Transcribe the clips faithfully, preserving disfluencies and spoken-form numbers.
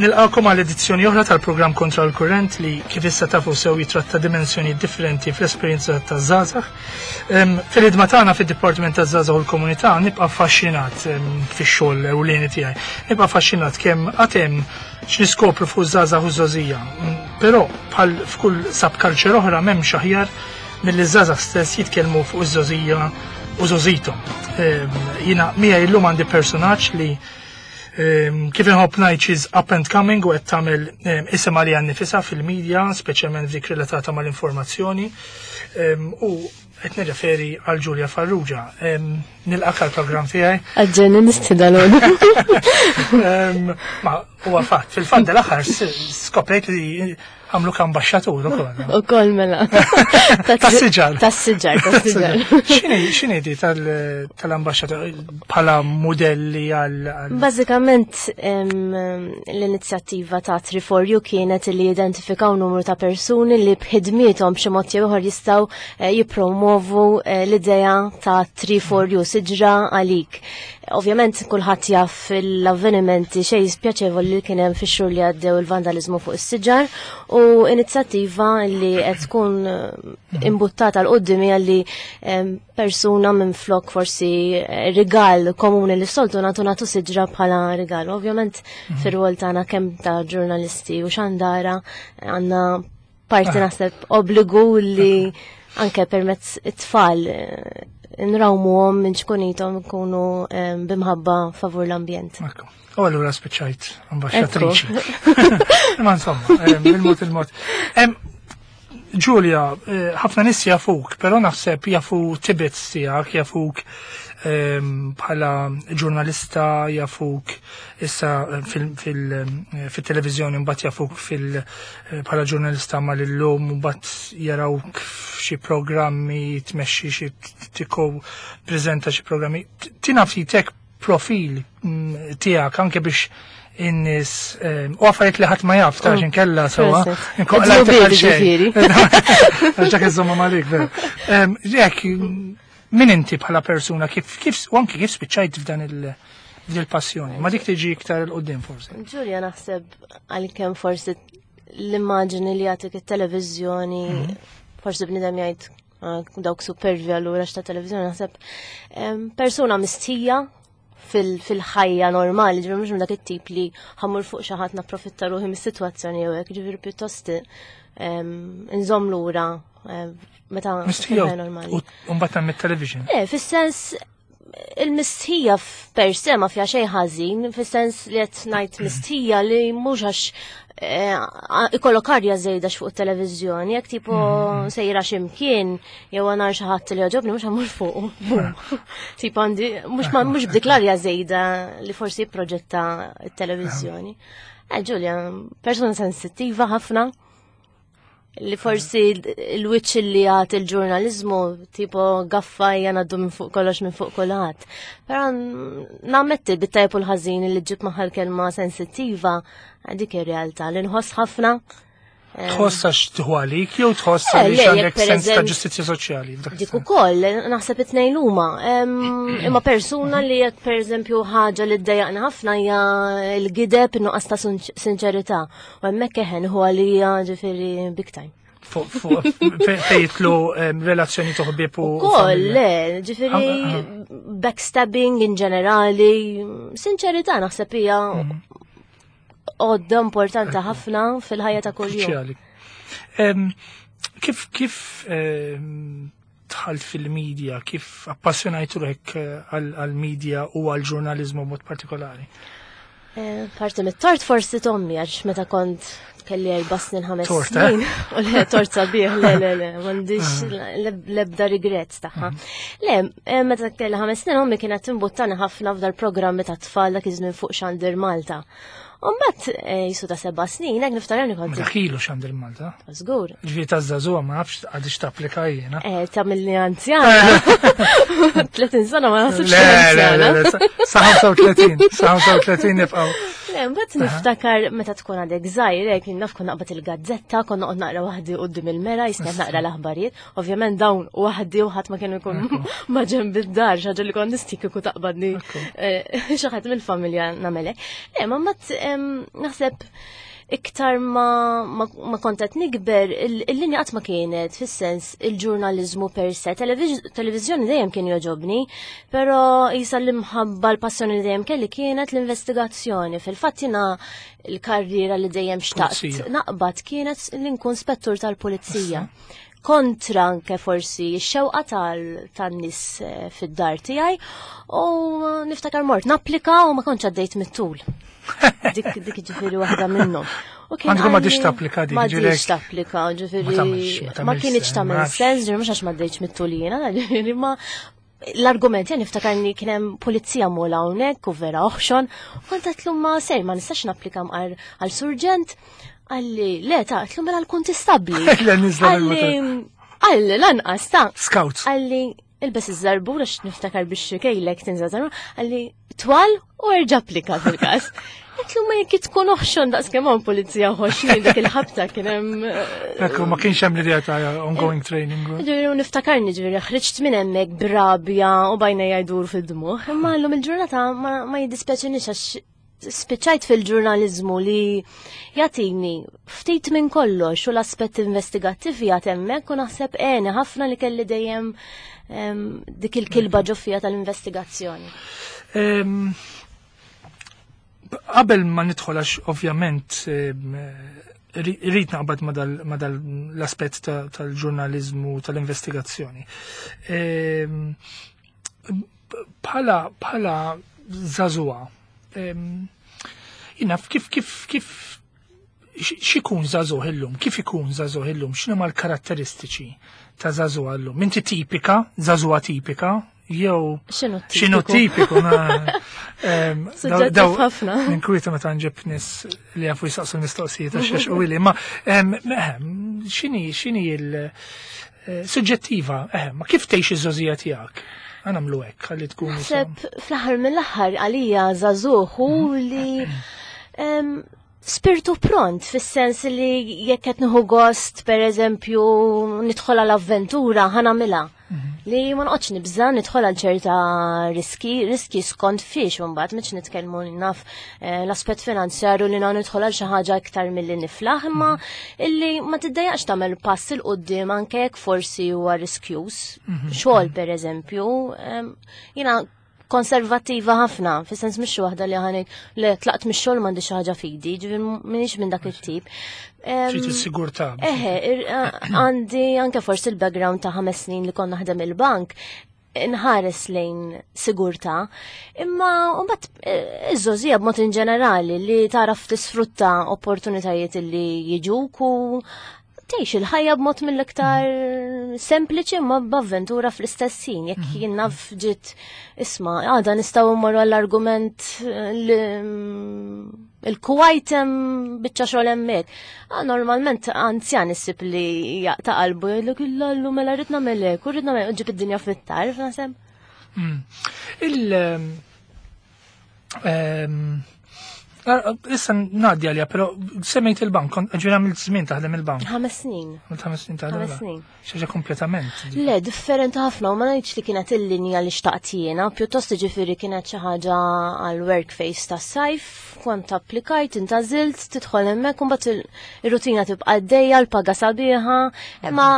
Nilqakom għal edizzjoni oħra tal-programm Kontra l-Kurrent li kif issa tafu sew jitratta dimensjoni differenti fl-esperjenza taż-żgħażagħ. Fil-ħidma tagħna fid-Dipartiment taż-Żgħażagħ u l-Komunità nibqa' affaxxinat fix-xogħol ewlieni tiegħi. Nibqa' affaxxinat kemm għad hemm x'niskopru fuq żgħażagħ u żgħożija. Però bħal f'kull subculture oħra m'hemmx aħjar milli żgħażagħ stess jitkellmu fuq iż-żgħożija u żgħożithom. Jiena miegħi llum għandi personaġġ li kif inħobb ngħid she's up and coming u qed tagħmel isem għaliha nnifisha fil-medja, speċjalment dik relatata mal-informazzjoni. U qed nirreferi għal Julia Farrugia. Nilqak għall-programm tiegħi. Għagġeni nistidalon. Ma huwa fatt, fil-fatt dal-aħħar skoprejt li għamluk ambaxxatur ukoll. Ukoll mela. Tas-siġar. Tas-siġar, tas-siġar. X'inhi di tal-ambaxxatur bħala modelli għal. Bażikament l-inizjattiva ta' Tree for You kienet li identifikaw numru ta' persuni li b'ħidmiethom b'xi mod jew ieħor jistgħu eh, jippromovu eh, l-idea ta' Tree for You, siġra għalik. Ovvjament kulħadd jaf l-avvenimenti xejn spjaċevoli li kien hemm fix-xhur li għaddew, il-vandalizmu fuq is-siġar, u inizjattiva li qed tkun eh, imbuttata 'l quddiem hija li persuna minn flok forsi eh, rigal komuni li soltu nagħtu nagħtu siġra bħala rigal. Ovvjament mhm. fir-rwol tagħna kemm ta' ġurnalisti u xandara għandna parti ah. naħseb obbligu li anke permezz it-tfal eh, nrawmuhom minn ċkunitom nkunu bimħabba favur l-ambjent. U allura spiċċajt ambaxxatriċi. Ma insomma, il-mod il-mod. Giulia, eh, ħafna nies jafuk, però naħseb jafu tidbits tiegħek, jafuk bħala ġurnalista, jafuk issa fil-televizjoni, mbagħad jafuk fil bħala ġurnalista mal-Illum, mbagħad jarawk f'xi programmi, tmexxi xi tiko preżenta xi programmi. Tina ftit profil mm, tiegħek anke biex in-nies u affarijiet li ħadd ma jaf ta' mm. kella sewwa. Ġak iżomma malik, vera. Jekk min inti bħala persuna, kif kif u anke kif spiċċajt f'dan il- il-passjoni? Ma dik tiġi iktar 'il quddiem forsi. Ġulja, naħseb għalkemm forsi l-immaġini li jagħtik it-televiżjoni, mhm. forsi bnidem jgħid ah, dawk supervi allura x'ta' televiżjoni, naħseb persuna mistija fil-ħajja normali, ġifieri mhux dak it-tip li ħa mmur fuq xi ħadd napprofitta ruħi mis-sitwazzjoni jew hekk, ġifieri pjuttost nżomm lura meta fil-ħajja normali. U mbagħad mit-television. Eh, fis-sens il-mistħija per se ma fija xejn ħażin, fis-sens li qed ngħid mistħija li mhux għax eh, ikollok arja żejda fuq it-televiżjoni, jekk tipo mm. sejra x'imkien jew għanar xi ħadd li jogħġobni mhux ħa mmur fuq. Tipo għandi mhux mhux b'dik l-arja żejda li forsi proġetta t-televiżjoni. Eh, Ġulja, persuna sensittiva ħafna li forsi il-wiċċ li għat il-ġurnalizmu tipo gaffa jgħanaddu minn fuq kollox minn fuq kulħadd. Però nammetti bit-tajb u l-ħażin li ġib magħha l-kelma sensittiva, dik ir-realtà li nħoss ħafna. Tħoss għax tieħu għalik jew tħoss eh, għaliex għandek sens ta' ġustizzja soċjali? Dik ukoll, naħseb it-tnejn huma. Imma persuna li jekk pereżempju ħaġa li ddejjaqna ħafna hija l-gideb, in-nuqqas ta' sinċerità. U hemmhekk eħen huwa għalija ġifieri big time. Fejn jidħlu relazzjoni toħbib u. Ukoll, le, ġifieri backstabbing in ġenerali, sinċerità naħseb hija mhm. għodda importanti ħafna fil-ħajja ta' kuljum. Kif kif dħalt fil-medja, kif appassjonajt ruħek eh, għal-medja u għal-ġurnalizmu mod partikolari? Eh, parti mit-tort forsi t'ommi, għax meta kont kelli erba' snin, ħames snin. U le, tort sabiħ, le, le, le, m'għandix ah. l-ebda regret tagħha. Mhm. Le, eh, meta kelli ħames snin ommi kienet timbuttani ħafna f'dal programmi ta' tfal dak iż-żmien fuq Xandir Malta. Umbat eh, jisu ta' seba' snin, hekk niftakar kont. Dak ilu Xandir Malta. Żgur. Ġifieri ta' żagħżugħa ma nafx għadix tapplika jiena. Eh, ta' mill-li anzjana. tletin sena ma naħsibx. Le, le, le, sa' ħamsa u tletin, sa' ħamsa u tletin nibqgħu. Le, mbagħad niftakar meta tkun għadek żgħir, hekk naf kont naqbad il-gazzetta, kont noqgħod naqra waħdi quddiem il-mera, jisni naqra l-aħbarijiet. Ovvjament dawn waħdi u ħadd ma kienu jkun ma ġenb id-dar, xi ħaġa li kont nistik kieku taqbadni eh, xi ħadd mill-familja nagħmelek. Le, ma mbagħad em, naħseb iktar ma, ma, ma kont qed nikber, il- il-linja qatt ma kienet, fis-sens il-ġurnalizmu per se. Televiz- Televizjoni dejjem kien joġobni, però jisa l-imħabba l-passjoni li dejjem kelli kienet l-investigazzjoni. Fil-fatt jiena l-karriera li dejjem xtaqt Pulizija. naqbad kienet li nkun spettur tal-pulizija. Kontra anke forsi x-xewqa tal- tan-nies eh, fid-dar tiegħi u niftakar mort napplika u ma kontx għaddejt mit-tul. Dik dik ġifieri waħda minnhom. U kien Għandkom m'għadix qalli- tapplika dik, M'għadix ġifieri- tapplika, ġifieri Ma tagħmilx- ma ma tagħmilx kienx sens, tagħmel ma nafx. sens, ġifieri mhux għax m'għaddejtx mit-tul jiena, ġifieri ma l-argument jien niftakarni kien hemm pulizija mola hawnhekk u vera oħxon, u kont għedtlu ma sej ma nistax napplika mqar għal surġent, qalli le ta' għedtlu mela għal-kuntistabbli. Le, nizla Qalli qalli lanqas ta' Scouts. Qalli ilbes iż-żarbur għax niftakar biex kejlek tinża żarbur, qalli twal u erġa' applika fil-każ. Għedtlu ma jekk tkun oħxon daqs kemm hawn pulizija ħoxnin dik il-ħabta kien hemm eh, Ekku, ma kienx hemm l-idea ta' ongoing training. Ġifieri u niftakarni ġifieri ħriġt minn hemmhekk brabja u bajna jgħidur fid-dmuħ. Imma llum il-ġurnata ma, ma jiddispjaċinix għax spiċċajt fil-ġurnalizmu li jagħtini ftit minn kollox u l-aspett investigattiv jgħat hemmhekk u naħseb għeni ħafna li kelli dejjem em, dik il-kilba ġo fija tal-investigazzjoni. Em, Qabel ma nidħol għax ovvjament em, ri- rrid naqbad ma dal- ma dal l-aspett ta- tal-ġurnalizmu tal-investigazzjoni. Em, Bħala bħala żagħżugħa, em, jina kif kif kif x- x'ikun żagħżugħ illum, kif ikun żagħżugħ illum, x'inhuma l-karatteristiċi ta' żagħżugħ illum? Inti tipika, żagħżugħa tipika, jew X'inhu x'inhu tipiku? tipiku? na- em, daw- Suġġettiv daw- ħafna. Ninkwieta meta nġib nies li jafu jisaqsu l-mistoqsijiet għax għax u ili, ma em, ehem, x'inhi x'inhi il eh, suġġettiva, ehem, ma kif tgħix iż-żgħożija tiegħek? Ħa nagħmlu hekk, ħalli tkun Naħseb fl-aħħar mill-aħħar għalija żagħżugħ hu li em, spiritu pront fis-sens li jekk qed nieħu gost pereżempju nidħol għal avventura ħa nagħmilha. Li ma noqgħodx nibża nidħol għal ċerta riski, riski skont fiex mbagħad mhux nitkellmu naf eh, l-aspett finanzjarju li na nidħol għal xi ħaġa iktar milli niflaħ, imma illi ma tiddejjaqx tagħmel pass 'il quddiem anke jekk forsi huwa riskjuż. Xogħol pereżempju, em, jiena konservattiva ħafna, fis-sens mhix waħda li ħanek li tlaqt mix-xogħol m'għandi xi ħaġa fidi, ġifieri m'iniex minn dak it-tip. Em, Trid is-sigurtà. Eħe, ir- għandi anke forsi il-background ta' ħames snin li konna naħdem il-bank, nħares lejn sigurtà, imma mbagħad eh, iż-żgħożija b'mod in ġenerali li taraf tisfrutta opportunitajiet li jiġuk u tgħix il-ħajja b'mod mill-iktar sempliċi ma b'avventura fl-istess ħin. Jekk jien naf ġiet isma' għada nistgħu mmorru għall-argument eh, li il-Kuwait hemm biċċa xogħol hemmhekk. Ah, normalment anzjan issib li jaqta' qalbu jgħidlek illallu mela rrid nagħmel hekk u rrid nagħmel ġib id-dinja fit-tarf naħseb. Mm. Il ehm, ah, Issa ngħaddi għalija, però semmejt il-bank, kont ġifieri għamilt żmien taħdem il-bank. Ħames snin. Għamilt ħames snin taħdem Ħames il-bank. snin. Xi ħaġa kompletament. Le, differenti ħafna u ma ngħidx li kienet il-linja li xtaqt jiena, pjuttost ġifieri kienet xi ħaġa għal work phase tas-sajf, kont applikajt, intgħażilt, tidħol hemmhekk u mbagħad il- ir-rutina tibqa' għaddejja, l-paga sabiħa, imma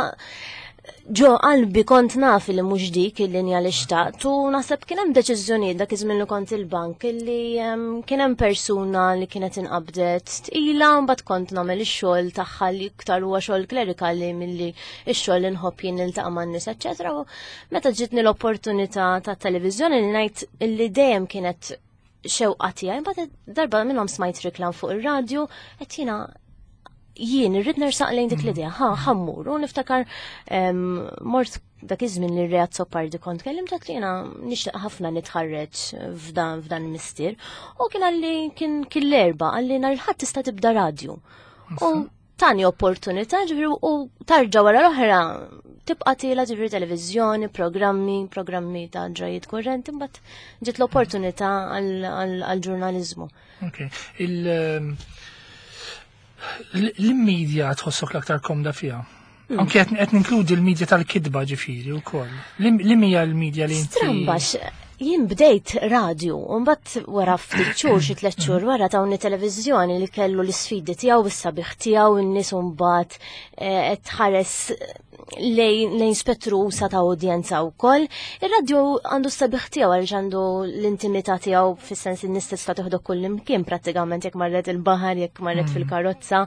ġo qalbi kont naf li mhux dik il-linja li xtaqt u naħseb kien hemm deċiżjonijiet dak iż-żmien li kont il-bank illi em, kien hemm persuna li kienet inqabdet tqila mbagħad kont nagħmel ix-xogħol tagħha li iktar huwa xogħol klerikali milli ix-xogħol li nħobb jien niltaqa' man-nies, eċċetera. U meta ġitni l-opportunità tat televiżjoni li ngħid illi dejjem kienet xewqa tiegħi, mbagħad darba minnhom smajt reklam fuq ir-radju qed jiena jien irrid nersaq lejn dik l-idea, ħa ħa mmur, u niftakar em, mort dak iż-żmien li Ray Azzopardi kont kellimt għedt li jiena nixtieq ħafna nitħarreġ f'dan f'dan il-mistier. U kien qalli kien kien l-Erbgħa qalli nhar il-Ħadd tista' tibda radju. U tani opportunità ġifieri u tarġa wara l-oħra Tibqa' tiela ġifieri televiżjoni, programmi, programmi ta' ġrajiet kurrenti, mbagħad ġiet l-opportunità għall-ġurnaliżmu. Ok. Il- L-media tħossok l-aktar komda fiha? Mm. Anke qed ninkludi l-media tal-kitba ġifieri wkoll. Li hija l-media li inti. Strambax, jien bdejt radio, u mbagħad wara ftit xhur, xi tliet xhur wara tawni televiżjoni li kellu l-isfidi tiegħu, is-sabiħ tiegħu, in-nies mbagħad eh, qed tħares lejn lejn spettru usa' ta' udjenza wkoll. Ir-radio għandu s-sabiħ tiegħu għaliex għandu l-intimità tiegħu, fis-sens in-nies tista' tieħdu kull imkien prattikament, jekk marret il-baħar, jekk marret fil-karozza.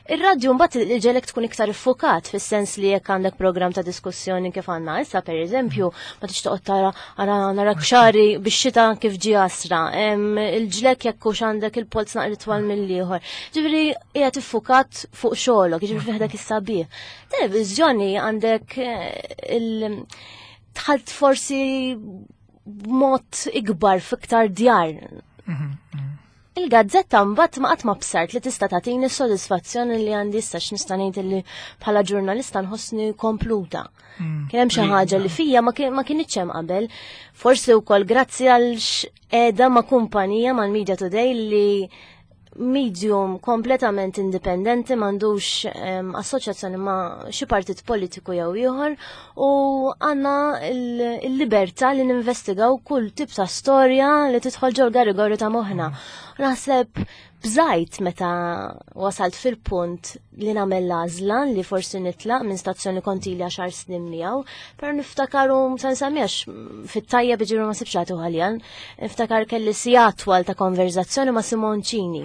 Ir-radio mbagħad iġegħlek tkun iktar iffukat, fis-sens li jekk għandek programm ta' diskussjoni kif għandna issa, pereżempju, ma tix toqgħod tara ara narak xari bix-xita kif ġie għasra, il-ġlek jekk hux għandek il-polz naqra twal mill-ieħor. Ġifieri qiegħed iffukat fuq xogħolok, ġifieri fih dak is-sabiħ. Televiżjoni għandek eh, il tħalt forsi b'mod ikbar fiktar djar. Il-gazzetta mbagħad ma qatt ma bsart li tista' tagħtini s-sodisfazzjoni li għandi issa, x'nista' ngħid li bħala ġurnalista nħossni kompluta. Kien hemm xi ħaġa li fija ma kien- ma kienx hemm qabel. Forsi wkoll grazzi għal qiegħda ma' kumpanija mal-Media Today li medium kompletament indipendenti, m'għandux um, assoċjazzjoni ma' xi partit politiku jew ieħor u għandna il-libertà li ninvestigaw kull tip ta' storja li tidħol ġol garigori ta' moħħna. Naħseb bżajt meta wasalt fil-punt li nagħmel l-għażla li forsi nitlaq minn stazzjoni kont ili għaxar snin miegħu, però niftakaru sa nsemmijax fit-tajja biġiru ma sibx għaljan, niftakar kelli siegħa twal ta' konverzazzjoni ma' Simoncini.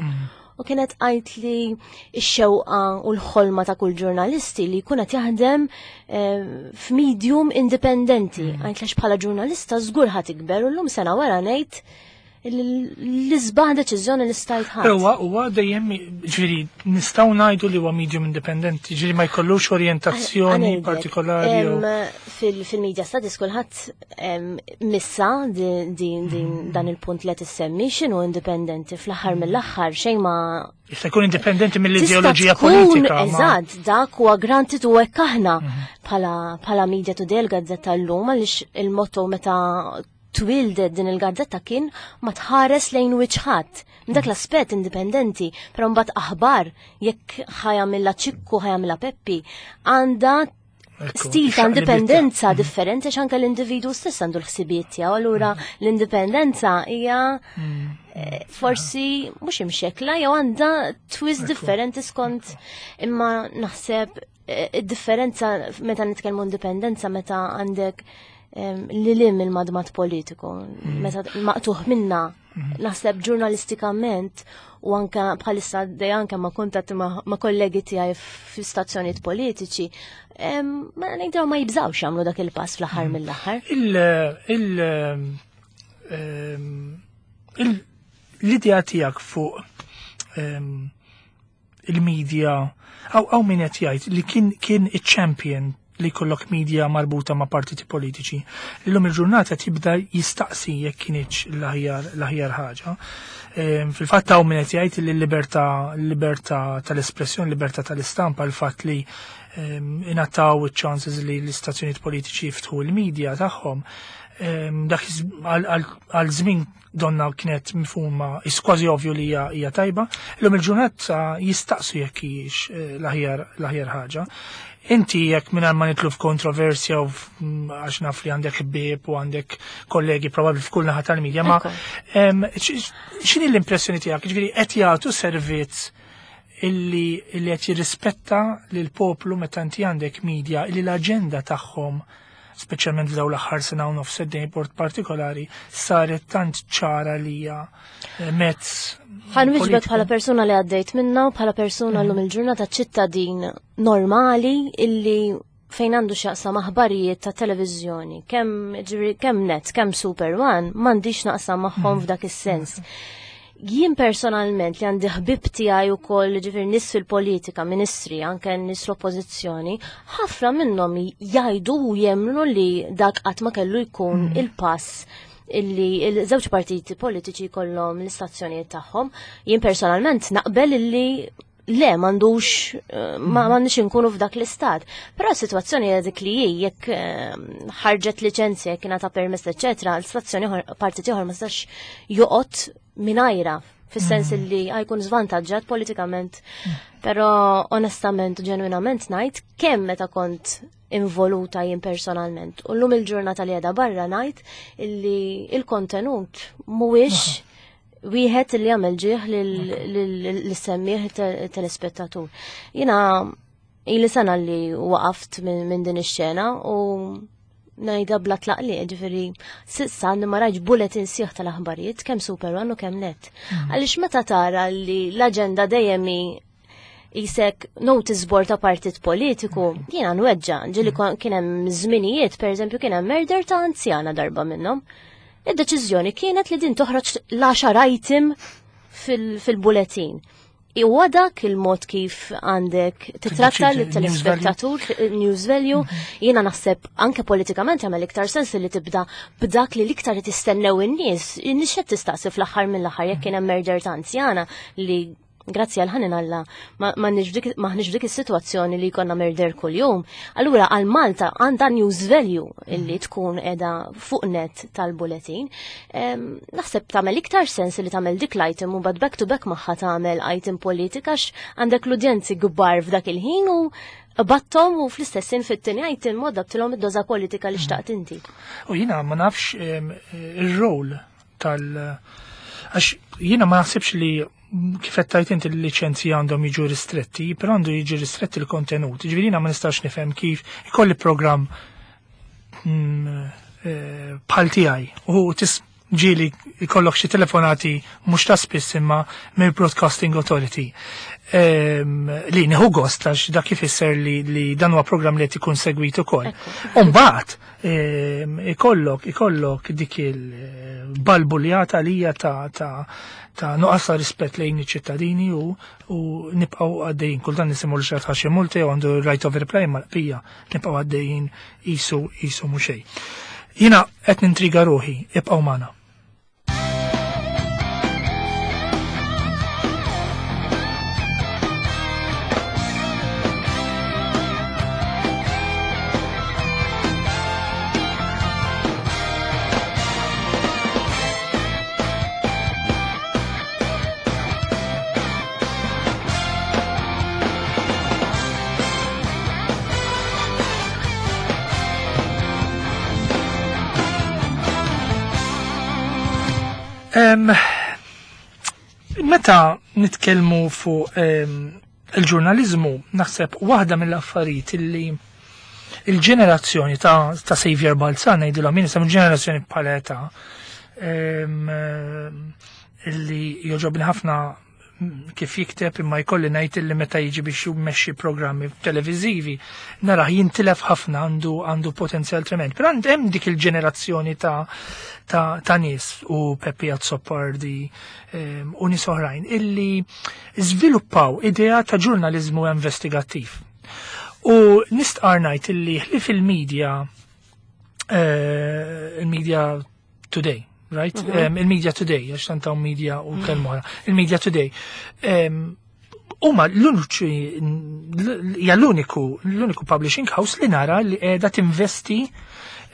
U kienet għajt li x-xewqa u l-ħolma ta' kull ġurnalisti li jkun qed jaħdem eh, f'medium indipendenti. Għajt għax bħala ġurnalista żgur ħa tikber u llum sena wara ngħid l-isbaħ deċiżjoni li stajt ħadd. Huwa huwa dejjem, ġifieri, nistgħu ngħidu li huwa medium indipendenti, ġifieri ma jkollux orjentazzjoni partikolari. Fil-media studies kulħadd missa din din dan il-punt li qed issemmi, x'inhu indipendenti fl-aħħar mill-aħħar xejn ma Jista' jkun indipendenti mill-ideoloġija politika. Eżatt, dak huwa granted u hekk aħna mhm. bħala Media Today, l-gazzetta llum, għaliex il-motto meta twildet din il-gazzetta kien ma tħares lejn wiċċ. Dak l-aspett indipendenti, però mbagħad aħbar jekk ħa jagħmilha Ċikku, ħa jagħmilha Peppi, għandha stil ta' indipendenza mhm. differenti għax anke l-individu stess għandu l-ħsibijiet tiegħu, allura mhm. l-indipendenza hija mhm. eh, forsi mhux imxekla jew għandha twist differenti skont, imma naħseb eh, id-differenza meta nitkellmu indipendenza meta għandek li lim il-madmat politiku, mm. meta maqtuħ minna, mm. naħseb ġurnalistikament u anka bħalissa dej anka ma kuntatti ma kollegi tiegħi fi stazzjonijiet politiċi, ma ngħidu ma jibżawx jagħmlu dak il-pass fl-aħħar mm. mill-aħħar. Il il l-idea tiegħek fuq il-media, hawn min qed jgħid li kien kien iċ-champion li jkollok media marbuta ma' partiti politiċi. Illum il-ġurnata tibda jistaqsi jekk kienx l-aħjar l-aħjar ħaġa. Ehm, Fil-fatt hawn min qed jgħid li l-libertà l-libertà tal-espressjoni, l-libertà tal-istampa, l-fatt li ehm, ingħataw iċ-chances li l-istazzjonijiet politiċi jiftħu l-media tagħhom, ehm, dak iż- għal- għal għal żmien donna kienet mifhuma is kważi ovvju li hija hija tajba. Illum il-ġurnata jistaqsu jekk hijiex eh, l-aħjar l-aħjar ħaġa. Inti jekk mingħajr ma nidħlu f'kontroversja u f- m, għax naf li għandek ħbieb u għandek kollegi probabbli f'kull naħa tal-medja, ma Ekku. em, x- x'inhi l-impressjoni tiegħek? Ġifieri qed jagħtu servizz illi illi qed jirrispetta lil poplu meta inti għandek media illi l-aġenda tagħhom, speċjalment f'dawn l-aħħar sena u nofs sentejn b'mod partikolari, saret tant ċara li hija eh, mezz Ħa nwieġbek politiku. bħala persuna li għaddejt minna u bħala persuna l-lum il-ġurnata ċittadin normali illi fejn għandu x'jaqsam aħbarijiet ta' televiżjoni, kemm ġifieri kemm Net, kemm Super One, m'għandix naqsam magħhom f'dak is-sens. Jien personalment li għandi ħbib tiegħi wkoll, ġifieri nies fil-politika, ministri, anke nies l-oppożizzjoni, ħafna minnhom jgħidu u jemmnu li dak qatt ma kellu jkun il-pass illi il-żewġ partiti politiċi kollhom l-istazzjonijiet tagħhom. Jien personalment naqbel illi Le, m'għandux, ma m'għandix inkunu f'dak l-istat. Però s-sitwazzjoni hija dik li hi, jekk ħarġet liċenzja, jekk ingħata permess, eċetera, l-istazzjoni partit ieħor ma stax joqgħod mingħajra, fis-sens li ħajkun żvantaġġat politikament. Però onestament u ġenwinament ngħid kemm meta kont involuta jien personalment. U llum il-ġurnata li qiegħda barra ngħid illi il-kontenut mhuwiex wieħed li jagħmel ġieħ lill-semmieħ telespettatur. Jiena ili sena li waqaft minn din ix-xena u ngħidha bla tlaqli, ġifieri s'issa ma rajtx bulletin sieħ tal-aħbarijiet kemm Super One u kemm Net. Għaliex meta tara li l-aġenda dejjem jisek notice board ta' partit politiku, jiena nweġġa, ġieli kien hemm żminijiet, pereżempju kien hemm murder ta' anzjana darba minnhom. Id-deċiżjoni kienet li din toħroġ l-għaxar item fil-bulletin. Huwa dak il-mod kif għandek titratta l-telespettatur, news value, jiena naħseb anke politikament jagħmel iktar sens li tibda b'dak li l-iktar tistennew in-nies. In-nies x'qed tistaqsi fl-aħħar mill-aħħar jekk kien hemm murder ta' anzjana li grazzi għal ħanin Alla m'aħniex f'dik is-sitwazzjoni li jkollna murder kuljum. Allura għal Malta għandha news value illi tkun qiegħda fuq net tal-bulletin. Naħseb tagħmel iktar sens li tagħmel dik l-item u bad back to back magħha tagħmel item politika għax għandek l-udjenzi kbar f'dak il-ħin u battom u fl-istess ħin fit-tieni item modabtilhom id-doża politika li xtaqt inti. U jiena ma nafx ir-rol tal- għax jiena ma naħsibx li kif qed tgħid inti l-liċenzji għandhom jiġu ristretti, però għandu jiġi ristretti l-kontenut. Ġifieri jiena ma nistax nifhem kif ikolli programm bħal tiegħi u tis ġieli ikollok xi telefonati mhux ta' spiss imma mill Broadcasting Authority. Li nieħu gost għax dak ifisser li, li dan huwa programm li qed ikun segwit ukoll. U mbagħad ikollok ikollok dik il-balbuljata li hija ta' ta' ta' nuqqas ta' rispett lejn iċ-ċittadini u, u nibqgħu għaddejjin. Kultant nisimgħu li xi ħadd multi u għandu right of reply ma l-bqija nibqgħu għaddejjin qisu qisu mhux xejn. Jiena qed nintriga ruħi, ibqgħu magħna. Um, meta nitkellmu fuq um, il-ġurnalizmu, naħseb waħda mill-affarijiet illi il-ġenerazzjoni ta', ta' Xavier Balzan, ngħidilhom jien isem ġenerazzjoni bħala età, um, illi jogħġobni ħafna kif jikteb imma jkolli ngħid illi meta jiġi biex jmexxi programmi televiżivi narah jintilef ħafna, għandu għandu potenzjal trement. Però hemm dik il-ġenerazzjoni ta' ta' ta' nies u Peppi Azzopardi um, u nies oħrajn illi żviluppaw idea ta' ġurnaliżmu investigattiv. U nistqar ngħid illi ħlief il-media uh, il-media today, right? Mm -hmm. um, il-media today, għax tantaw media u kelma oħra. Il-media today. Um, huma l-uniċi hija l-uniku l-uniku publishing house li nara li qiegħda tinvesti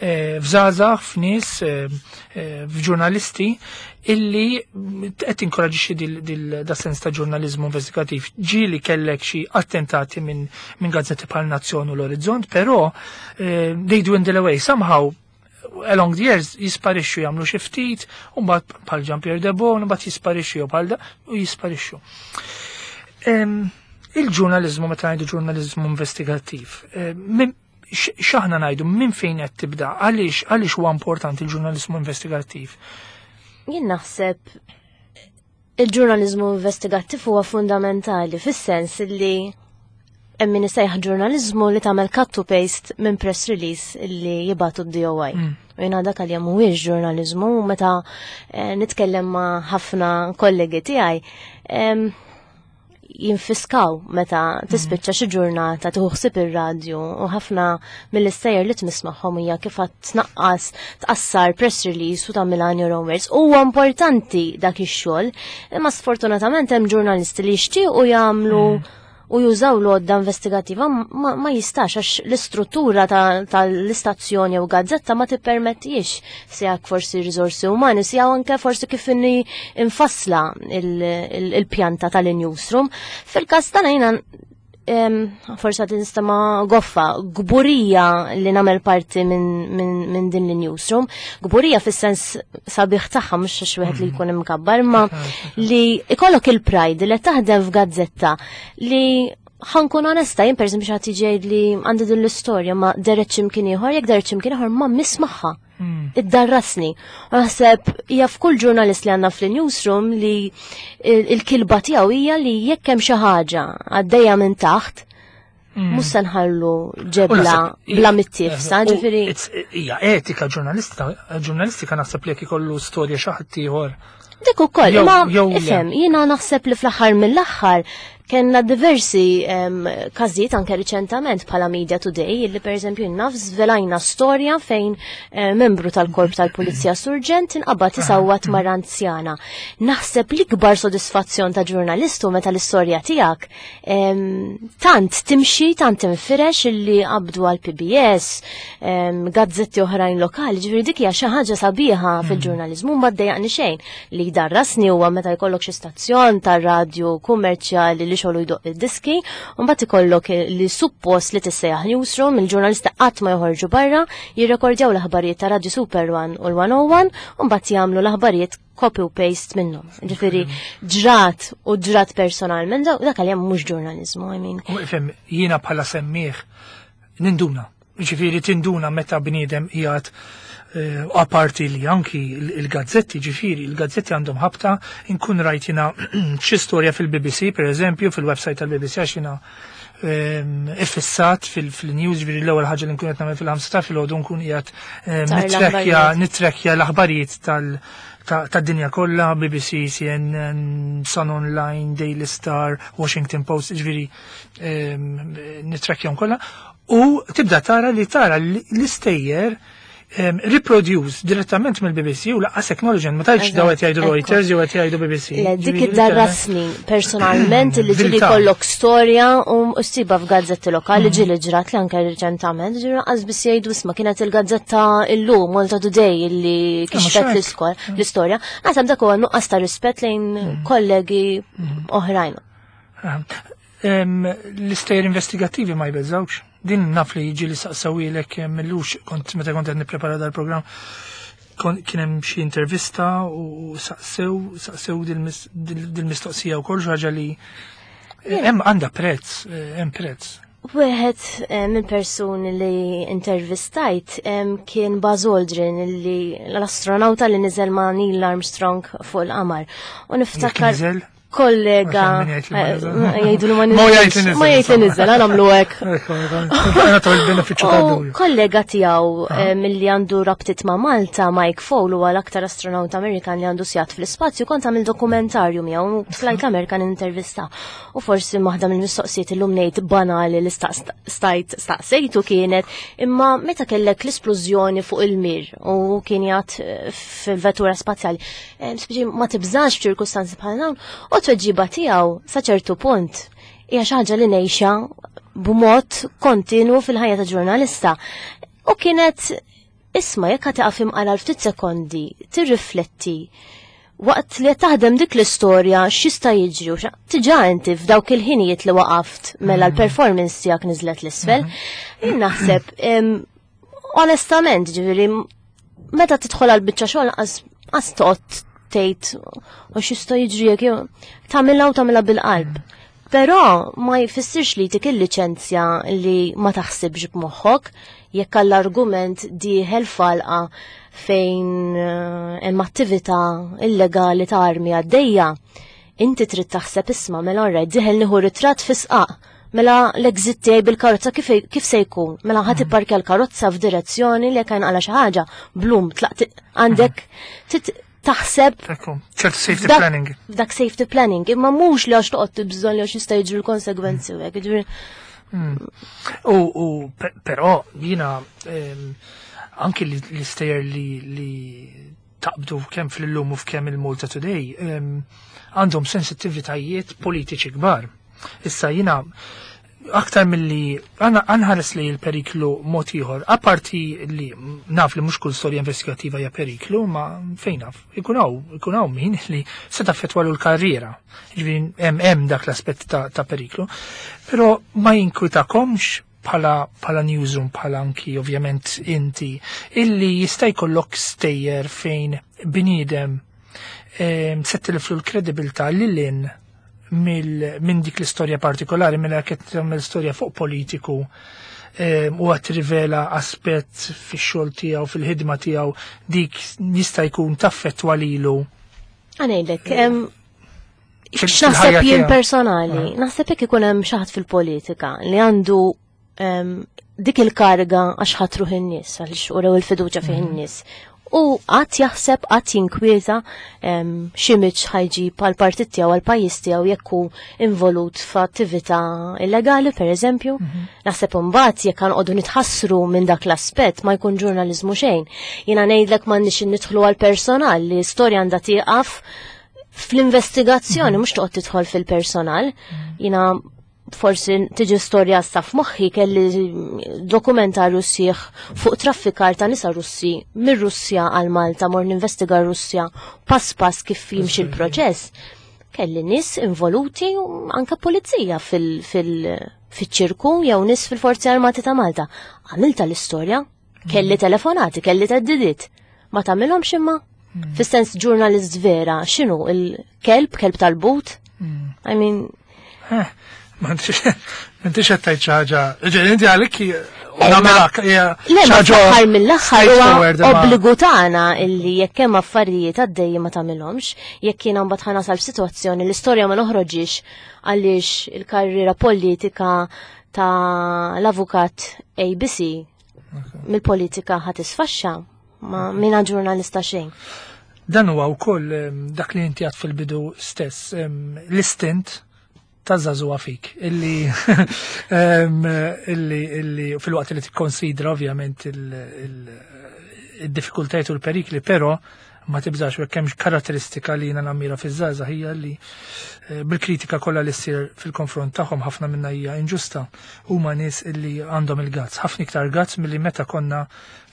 eh, f'żgħażagħ, f'nies, eh, eh, f'ġurnalisti illi qed tinkoraġixxi dil da sens ta' ġurnaliżmu investigattiv. Ġieli kellek xi attentati minn min gazzetti bħal Nazzjon u l-Orizzont, però eh, they dwindle away somehow along the years jisparixxu, jagħmlu xi ftit, u mbagħad bħal Jean Pierre Debon, u mbagħad jisparixxu jew bħal da, u jisparixxu. Il-ġurnaliżmu, meta ngħidu ġurnaliżmu investigattiv, x'aħna ngħidu, minn fejn qed tibda, għaliex għaliex huwa importanti il-ġurnaliżmu investigattiv? Jien naħseb il-ġurnaliżmu investigattiv huwa fundamentali fis-sens li hemm min isejjaħ ġurnaliżmu li tagħmel cut to paste minn press release li jibgħatu d-D O I. Mm. U jiena dak għalija mhuwiex ġurnaliżmu, u meta eh, nitkellem ma' ħafna kollegi tiegħi, Jinfiskaw meta tispiċċa xi ġurnata tieħu ħsieb ir-radju u ħafna mill-istejjer li tmiss magħhom hija kif qed tnaqqas, tqassar press release u tagħmilha in your own words. Huwa importanti dak ix-xogħol, imma sfortunatament hemm ġurnalisti li jixtiequ jagħmlu u jużaw l-għodda investigativa, ma, ma jistax għax l-istruttura tal-istazzjoni u gazzetta ma tippermettix, sija forsi risorsi umani, sija anke forsi kif inni infassla il-pjanta tal-newsroom. Fil-kas tagħna jiena forsi għad nistama goffa, gburija li nagħmel parti minn min, min din l-newsroom, gburija fis-sens sabiħ tagħha, mhux għax wieħed li jkun imkabbar, ma li ikollok il-pride li taħdem f'gazzetta li, ħa nkun onesta, jien per eżempju xi ħadd li għandi din l-istorja ma deret x'imkien ieħor, jekk deret x'imkien ieħor ma nismagħha. Hmm. Iddarrasni. U naħseb hija f'kull ġurnalist li għandna fl-newsroom li il-kilba tiegħu hija li jekk hemm xi ħaġa għaddejja minn taħt, hmm. mhux se nħallu ġebla bla mittifsa, ġifieri. Hija etika ġurnalista, ġurnalistika naħseb li jekk ikollu storja xi ħadd ieħor. Dik ukoll, imma ifhem, jiena naħseb li fl-aħħar mill-aħħar kellna diversi um, każijiet anke riċentament bħala Media Today li per eżempju naf żvelajna storja fejn uh, membru tal-korp tal-Pulizija, surġent, inqabad isawwat mara anzjana. Naħseb l-ikbar sodisfazzjon ta' ġurnalistu meta l-istorja tiegħek um, tant timxi, tant tinfirex illi qabdu għal P B S, um, gazzetti oħrajn lokali, ġifieri dik hija xi ħaġa sabiħa mm. fil-ġurnaliżmu. Ma ddejjaqni xejn. Li jdarrasni huwa meta jkollok xi stazzjon tar-radju kummerċjali li xogħlu jdoqq id-diski, u mbagħad ikollok li suppost li tissejjaħ newsroom, il-ġurnalista qatt ma joħorġu barra, jirrekordjaw l-aħbarijiet ta' Radio Super one u l-one oh one, u mbagħad jagħmlu l-aħbarijiet copy u paste minnhom. Ġifieri ġrat u ġrat personalment, dak għalija mhux ġurnaliżmu, I mean. U ifhem, jiena bħala semmiegħ ninduna. Ġifieri tinduna meta bniedem qiegħed eh, aparti li anki il-gazzetti, ġifieri, il-gazzetti għandhom ħabta, inkun rajt jiena xi storja fil-B B C, per eżempju, fil-website tal-B B C, għax jiena ehm, iffissat fil-news, ġifieri l-ewwel ħaġa li nkun qed nagħmel fil-ħamsa ta' filgħodu nkun qiegħed ehm, nitrekkja nitrekkja l-aħbarijiet tal- tad-dinja kollha, B B C, C N N, Sun Online, Daily Star, Washington Post, ġifieri ehm, nitrekkjahom kollha. U tibda tara li tara l-istejjer reproduce direttament mill-B B C u lanqas acknowledgement, ma tajtx daw qed jgħidu Reuters jew qed jgħidu B B C. Le, dik id-darrasni personalment li ġieli kollok storja u ssibha f'gazzetti lokali, mm. ġieli ġrat li anke reċentament, ġieli lanqas biss jgħidu isma' kienet il-gazzetta illum, Malta Today, illi kixfet mm. l-istorja. Naħseb dak huwa nuqqas ta' rispett lejn mm. kollegi oħrajn. L-istejjer investigattivi ma jbeżawx? Din naf li jiġi li saqsawilek millux kont meta kont qed nipprepara dal-programm, kien hemm xi intervista u saqsew saqsew dil-mistoqsija wkoll, xi ħaġa li hemm għandha prezz, hemm prezz. Wieħed eh, minn persuni li intervistajt kien Buzz Aldrin, li l-astronauta li niżel ma' Neil Armstrong fuq il-qamar. U niftakar kollega jgħidu li ma niżel. Ma jgħid li niżel, għamlu hekk. Kollega tiegħu eh, milli għandu rabtiet ma' Malta, Mike Foale, huwa l-aktar astronaut Amerikan li għandu sigħat fl-ispazju, kont għamil dokumentarju miegħu, tlajt l-Amerikan intervista. U forsi waħda mill-mistoqsijiet illum ngħid banali li stajt staqsejtu kienet, imma meta kellek l-isplużjoni fuq il-Mir u kien jgħat eh, fil-vettura spazjali, eh, ma tibżax f'ċirkustanzi bħal dawn? U tweġiba tiegħu sa ċertu punt hija xi ħaġa li ngħixha b'mod kontinu fil-ħajja ta' ġurnalista. U kienet, isma', jekk taqaf imqala ftit sekondi, tirrifletti waqt li taħdem dik l-istorja x'jista' jiġri u tiġa inti f'dawk il-ħinijiet li waqaft mela mm. l-performance tiegħek niżlet l-isfel. Mm-hmm. Jien naħseb onestament, ġifieri meta tidħol għal biċċa xogħol qas toqgħod tgħid u x'jista' jiġri jekk tagħmilha u tagħmilha bil-qalb. Però ma jfissirx li tik il-liċenzja li ma taħsibx b'moħħok jekk għall-argument dieħel falqa fejn eh, hemm attività illegali ta' armi għaddejja. Inti trid taħseb, isma', mela orrejt dieħel nieħu ritratt fi sqaq, mela l-exit tiegħi bil-karozza kif, kif se jkun? Mela ħa tipparkja l-karozza f'direzzjoni li jekk għala xi ħaġa, blum, tlaqt għandek. taħseb ċertu safety planning. Dak safety planning, imma mhux li għax toqgħod tibżon li għax jista' jiġru l-konsegwenzi u hekk. U u però jiena anki l-istejjer li taqbdu kemm fl-Illum u f'kemm il-Malta Today għandhom sensittivitajiet politiċi kbar. Issa jiena aktar milli anħares li l-periklu mod ieħor, apparti li naf li mhux kull storja investigattiva hija periklu, ma fejn naf, ikun hawn, ikun hawn min li se taffettwalu l-karriera. Jiġifieri hemm hemm dak l-aspett ta', ta periklu. Però ma jinkwitakomx bħala bħala newsroom, bħala anki ovvjament inti, illi jista' jkollok stejjer fejn bniedem se tilflu l-kredibilità lil hinn minn dik l-istorja partikolari, minn qed tagħmel storja fuq politiku u għad rivela aspett fix-xogħol tiegħu, fil-ħidma tiegħu, dik jista' jkun taffettwa lilu. Ngħidlek, x'naħseb jien personali, naħseb jekk ikun hemm xi ħadd fil-politika li għandu dik il-karga għax ħatruh in-nies, għaliex urew il-fiduċja fih in-nies. U qatt jaħseb, qatt jinkwieta xi miċ ħajġib għall-partit tiegħu, għall-pajjiż tiegħu jekk hu involut f'attività illegali, pereżempju. Naħseb imbagħad jekk ħanqogħdu nitħassru minn dak l-aspett ma jkun ġurnaliżmu xejn. Jiena ngħidlek m'għandniex nidħlu għall-personal, li storja għandha tieqaf fl-investigazzjoni, mhux toqgħod tidħol fil-personal. Jiena forsi tiġi storja sa f'moħħi kelli dokumentarju sieħ fuq traffikar ta' nisa Russi mir-Russja għal Malta, mor ninvestiga Russja pass pass kif jimxi l-proċess. Kelli nies involuti anke pulizija fil-ċirku jew nies fil-Forzi Armati ta' Malta. Għamilta l-istorja, kelli telefonati, kelli theddidiet. Ma tagħmilhomx imma? Fis-sens ġurnalist vera, x'inhu il-kelb, kelb tal-but? I mean, M'intix qed tgħid xi ħaġa. Ġej inti għalik nagħmelak hija Le, ma fl-aħħar mill-aħħar huwa obbligu tagħna illi jekk hemm affarijiet għaddejja ma tagħmilhomx, jekk jiena mbagħad ħa nasal f'sitwazzjoni l-istorja ma noħroġix għaliex il-karriera politika ta' l-avukat A B C mill-politika ħa tisfaxxa, ma mina ġurnalista xejn. Dan huwa wkoll dak li inti għad fil-bidu stess, l-istint ta' żagħżugħa fik, illi illi illi fil-waqt li tikkonsidra ovvjament il-diffikultajiet u l-perikli, però ma tibżax u hemm karatteristika li jiena nammira fiż-żgħażagħ hija li bil-kritika kollha li ssir fil-konfront tagħhom ħafna minnha hija inġusta, huma nies illi għandhom il-gazz, ħafna iktar gazz milli meta konna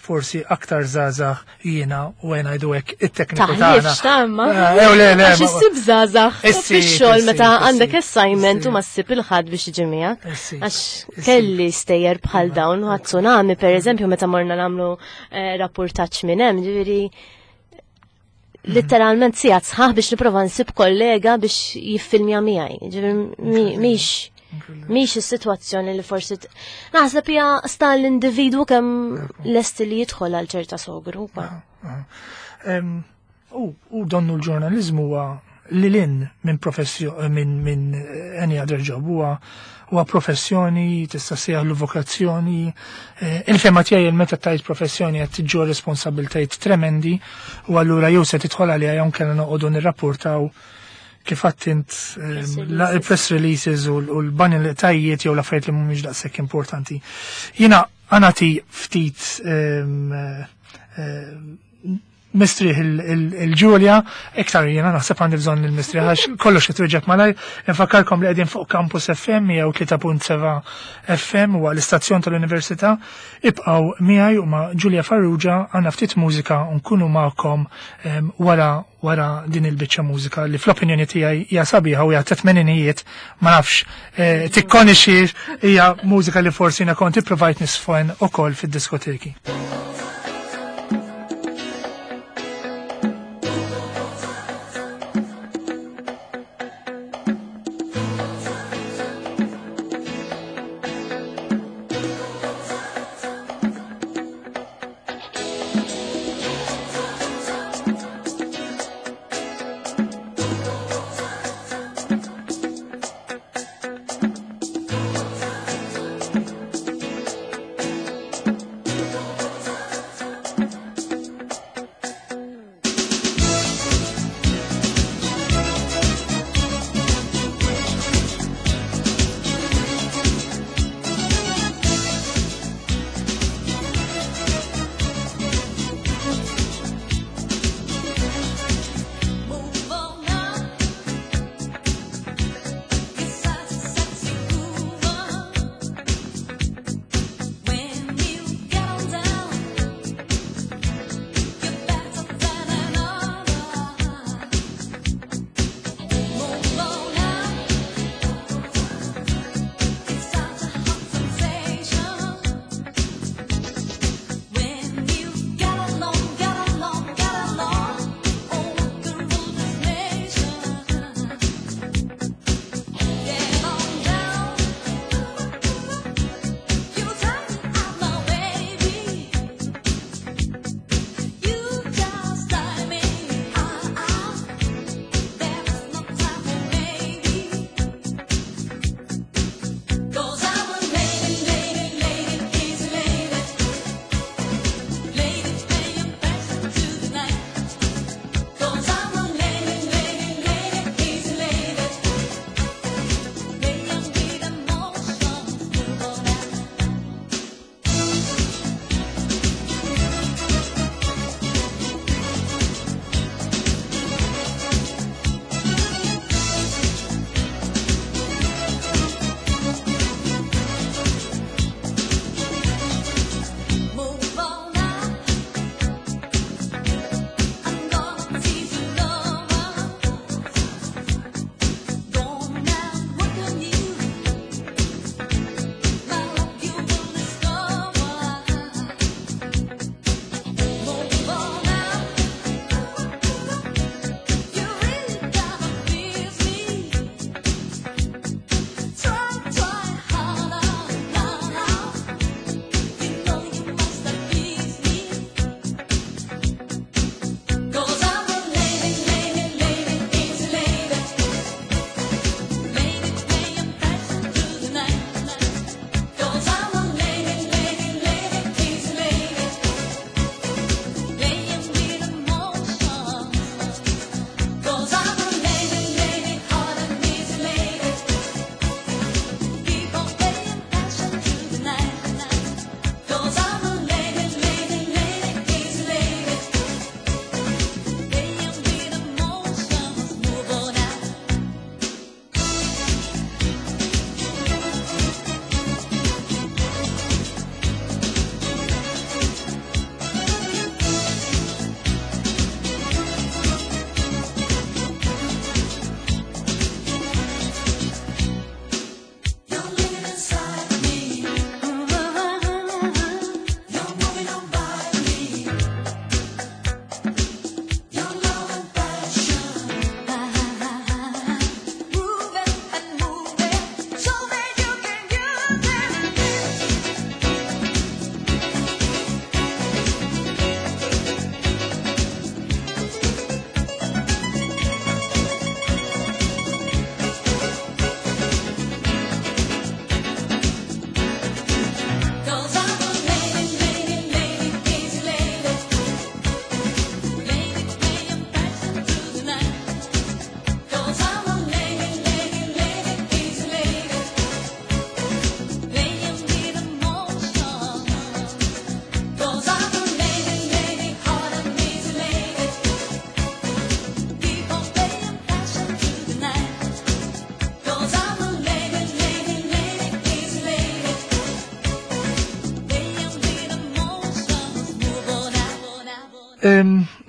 forsi aktar żgħażagħ jiena u għena ngħidu hekk it-tekniku tagħna. Taħlifx tamma. Ew le le. Għax issib żgħażagħ fix-xogħol meta għandek assignment u ma ssib il-ħadd biex jiġi miegħek. Għax kelli stejjer bħal dawn u tsunami pereżempju meta morna nagħmlu rapportaġġ minn hemm, ġifieri literalment sigħat sħaħ biex nipprova nsib kollega biex jiffilmja miegħi. Ġifieri mhix mhix is-sitwazzjoni li forsi naħseb hija sta l-individwu kemm lest li jidħol għal ċerta sogru. U donnu l-ġurnaliżmu huwa lil hinn minn professjoni minn minn any other job, huwa huwa professjoni, tista' sejjaħlu vokazzjoni. Il-fema tiegħi meta tajt professjoni qed tiġġor responsabiltajiet tremendi u allura jew se tidħol għaliha jew kellna noqogħdu nirrapportaw kif għattint il-press releases u l-banalitajiet jew l-affarijiet li mhumiex daqshekk importanti. Jiena għanati ftit mistrieħ il-Ġulja, iktar jiena naħseb għandi bżonn il-mistrieħ għax kollox qed twieġeb malajr. Infakkarkom li qegħdin fuq Campus F M jew tlieta punt seba' F M huwa l-istazzjon tal-Università. Ibqgħu miegħi u ma' Ġulja Farrugia għandna ftit mużika u nkunu magħkom wara wara din il-biċċa mużika li fl-opinjoni tiegħi hija sabiħa u hija ta' tmeninijiet, ma nafx tikkonixxi hija mużika li forsi jiena kont ipprovajt nisfen ukoll fid-diskoteki. Thank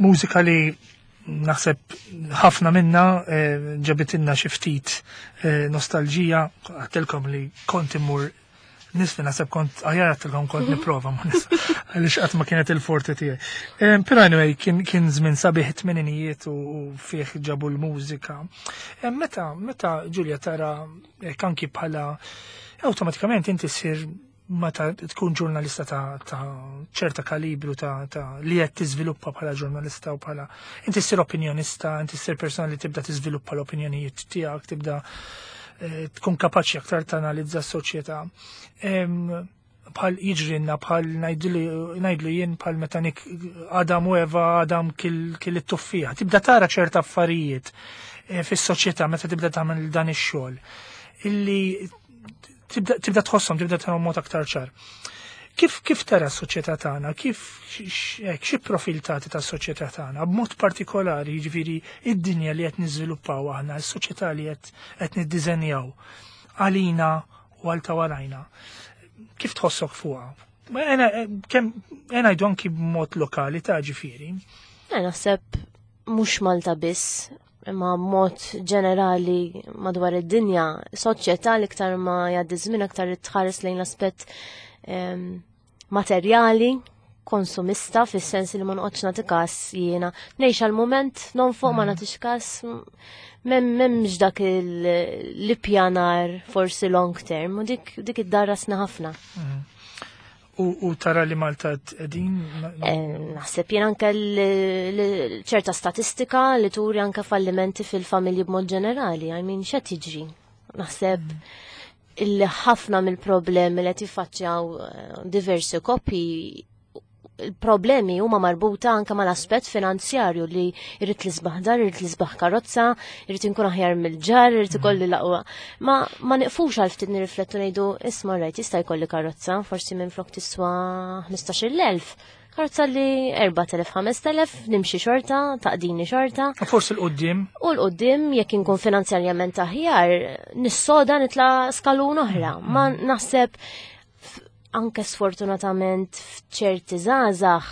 Mużika li naħseb ħafna minna eh, ġabitilna xi ftit eh, nostalġija, għedtilkom li kont immur nisli, naħseb kont aħjar għedtilkom kont nipprova ma nis għaliex qatt ma kienet il-forte tiegħi. Però anyway, kien kien żmien sabiħ, it-tmeninijiet, u fih ġabu l-mużika. Meta meta Ġulja tara anki bħala awtomatikament inti ssir, meta tkun ġurnalista ta', ta ċerta kalibru ta', ta li qed tiżviluppa bħala ġurnalista u bħala inti ssir opinjonista, inti ssir persona li tibda tiżviluppa l-opinjonijiet tiegħek, tibda eh, tkun kapaċi aktar tanalizza s-soċjetà. Bħal jiġrinna, bħal ngħidlu jien, bħal meta Adam u Eva, Adam kiel it-tuffieħa. Tibda tara ċerta affarijiet eh, fis-soċjetà meta tibda tagħmel dan ix-xogħol illi tibda tħossom, tibda tara mod aktar ċar. Kif kif tara s-soċjetà tagħna? Kif xi profil tagħti tas-soċjetà tagħna? B'mod partikolari, jiġifieri id-dinja li qed niżviluppaw aħna, is-soċjetà li qed qed niddiżenjaw għalina u għal ta' warajna. Kif tħossok fuqha? Kemm ngħidu anki b'mod lokali ta' ġifieri. Naħseb mhux Malta biss, imma mod ġenerali madwar id-dinja, soċjetà li iktar ma jgħaddi żmien aktar tħares lejn l-aspett materjali, konsumista, fis-sens li ma noqgħodx nagħti każ jiena. Ngħix għal-mument, nonfoq, ma mm. nagħtix każ, m'hemmx dak l-ippjanar forsi long term u dik dik iddarrasna ħafna. Mm. U tara li Malta qegħdin? Eh, naħseb jien anke ċerta statistika li turi anke fallimenti fil-familji b'mod ġenerali. I mean, x'qed jiġri? Naħseb mm. illi ħafna mill-problemi li qed jiffaċċjaw eh, diversi koppji, il-problemi huma marbuta anke mal-aspett finanzjarju, li irrid l-isbaħ dar, irrid l-isbaħ karozza, irrid inkun aħjar mill-ġar, irrid ikolli l-aqwa. Ma ma niqfux għal ftit nirriflettu, ngħidu, "Isma' rajt, jista' jkolli karozza, forsi minn flok tiswa ħmistax-il elf. Karozza li erbat elef, ħamest elef, nimxi xorta, taqdini xorta." U forsi 'l quddiem. U 'l quddiem, jekk inkun finanzjarjament aħjar, nissoda nitla skalun oħra. Ma naħseb anke sfortunatament f'ċerti żgħażagħ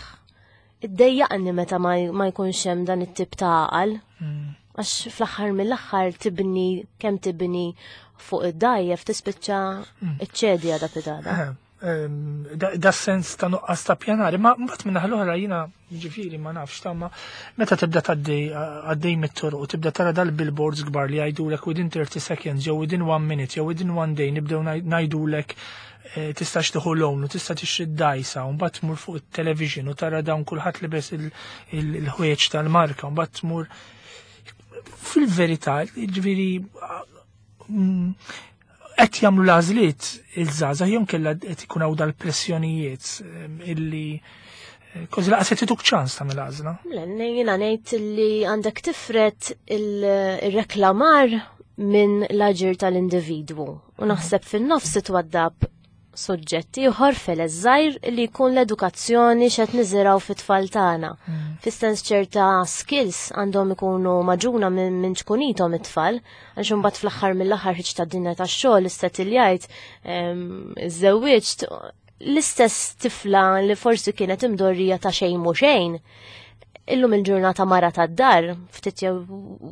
iddejjaqni meta ma ma jkunx hemm dan it-tip ta' għaqal. Għax fl-aħħar mill-aħħar tibni kemm tibni fuq id-dajjef, tispiċċa iċċedi għada pitgħada. Eh, ehm, Da da sens ta' nuqqas ta' pjanari, ma mbagħad minn l-oħra jiena, ġifieri, ma nafx ta' ma meta tibda tgħaddej għaddej mit-toroq u tibda tara dal-billboards kbar li jgħidulek within thirty seconds jew within one minute jew within one day nibdew ngħidulek eh, tistax tieħu loan u tista' tixtri d-dajsa, u mbagħad tmur fuq it-television u tara dawn kulħadd libes il-ħwejjeġ tal-marka, u mbagħad tmur fil-verità, ġifieri, mm, qed jagħmlu l-għażliet il-żgħażagħ jew kellha qed ikun hawn dal-pressjonijiet em, illi eh, kważi lanqas qed ituk ċans tagħmel għażla. Le, jiena ngħid li għandek tifred il-reklamar minn l-aġir tal-individwu. U naħseb fin-nofs twaddab soġġetti ieħor feles żgħir li jkun l-edukazzjoni, x'qed niżirgħu fit-tfal tagħna. Fis-sens ċerta skills għandhom ikunu magħġuna minn min ċkunithom it-tfal, għax imbagħad fl-aħħar mill-aħħar ħiġ ta' dinja tax-xogħol, istetiljajt, iżżewwiġt, l-istess tifla li forsi kienet imdorrija ta' xejn mhu xejn, illum il-ġurnata mara tad-dar, ftit jew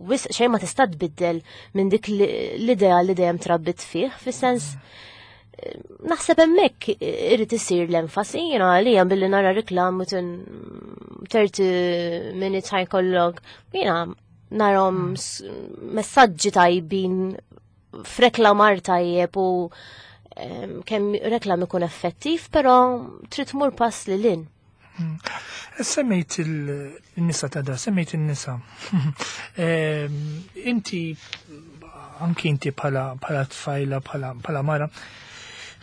wisq xejn ma tista' tbiddel minn dik l-idea li dejjem trabbit fih, fis-sens naħseb hemmhekk irid isir l-enfasi. Jiena għalija billi nara reklam tin thirty minutes ħa jkollok, jiena narahom s- messaġġi tajbin f'reklamar tajjeb u em, kemm reklam ikun effettiv, però trid tmur pass lil hinn. Semmejt il-nisa ta' da, semmejt il-nisa. Em, Inti, anki inti bħala bħala tfajla, bħala bħala mara,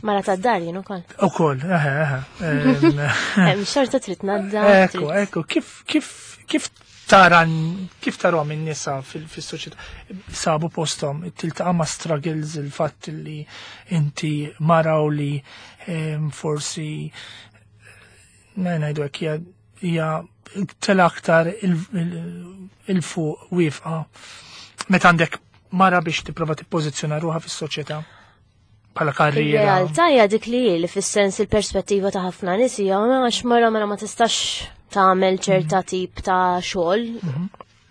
Mara ta' dar jien ukoll. Ukoll, eħe, eħe. Em, Hemm xorta trid nadda. Ekku, trid- ekku, kif, kif, kif taran, kif tarahom in-nisa fil-soċjetà? Sabu postom, tiltaqa' ma' struggles, il-fatt li inti mara u li em, forsi ma ngħidu hekk hija hija tela aktar il-fuq wifqa meta għandek mara biex tipprova tippożizzjona ruħha fis-soċjetà bħala karriera. Ir-realtà hija dik li hi, li fis-sens il-perspettiva ta' ħafna nies hija għax mara mela ma tistax tagħmel ċerta tip ta' xogħol.